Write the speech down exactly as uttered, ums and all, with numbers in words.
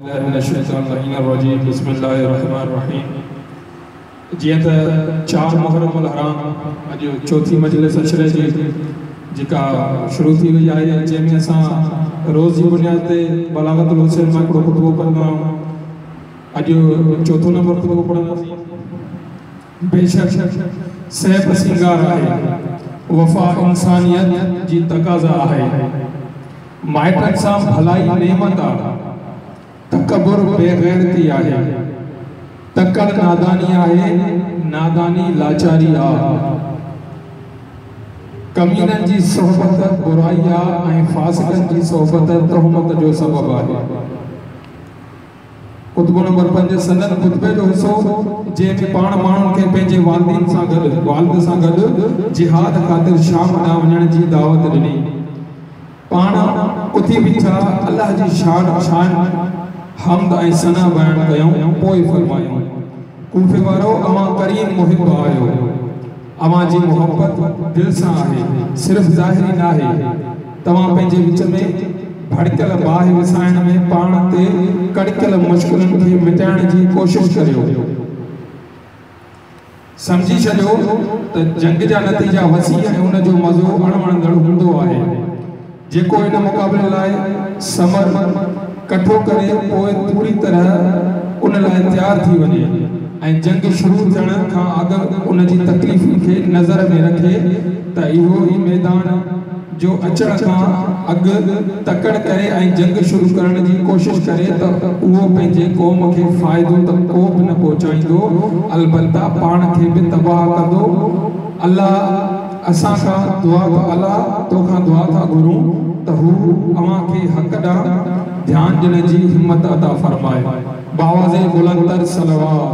من الشيطان اللعين الرجيم بسم الله الرحمن الرحيم جيئن ته چار محرم الحرام اڄ چوٿين مجلس عشري جي جيڪا شروع ٿي وئي آهي، جنهن ۾ اسان روز جي بنياد تي بلاغت الحسين مان هڪڙو خطبو پڙهندا آهيون. اڄ چوٿون نمبر خطبو پڙهنداسين. بيشڪ سهپ سينگار آهي، وفا انسانيت جي تقاضا آهي، مائٽن سان ڀلائي نعمت آهي، تڪبر بيغيرتي آهي، تڪڙ ناداني آهي، ناداني لاچاري آهي، ڪمينن جي صحبت برائي آهي ۽ فاسقن جي صحبت تهمت جو سبب آهي. خطبو نمبر پنج، سندن خطبي جو حصو جنهن ۾ پاڻ ماڻهن کي پنهنجي والدين سان گڏ والد سان گڏ جهاد خاطر شام ڏانهن وڃڻ جي دعوت ڏني. پاڻ اٿي بيٺا، الله جي شان شان حمد ۽ ثنا بيان ڪيائون، پوءِ فرمايائون: ڪوفي وارو، اوهان ڪريم محب آهيو، اوهان جي محبت دل سان آهي، صرف ظاهري ناهي. توهان پنهنجي وچ ۾ ڀڙڪيل باهه وسائڻ ۾ پاڻ تي ڪڙڪيل مشڪلن کي مٽائڻ جي ڪوشش ڪريو. سمجهي ڇڏيو ته جنگ جا نتيجا وسيع ۽ ان جو مزو اڻوڻندڙ هوندو آهي. جيڪو ان مقابلي لاءِ ثمر ڪٺو ڪري پوءِ پوري طرح ان لاءِ تيار ٿي وڃي ۽ جنگ شروع ٿيڻ کان اڳ ان جي تڪليفن کي نظر ۾ رکي ته اهو ئي ميدان جو اچڻ کان اڳ تڪڙ ڪري ۽ جنگ شروع ڪرڻ جي ڪوشش ڪري ته اهو پنهنجي قوم کي فائدو ته ڪو به نه پهچائيندو، البته پاڻ کي به تباهه ڪندو. الله اسان کان دعا الله توکان دعا ٿا گهرون ته هو اوهان کي حق ڏانهن ڌيان ڏيڻ جي همت عطا فرمائي. بآواز بلندتر صلوات.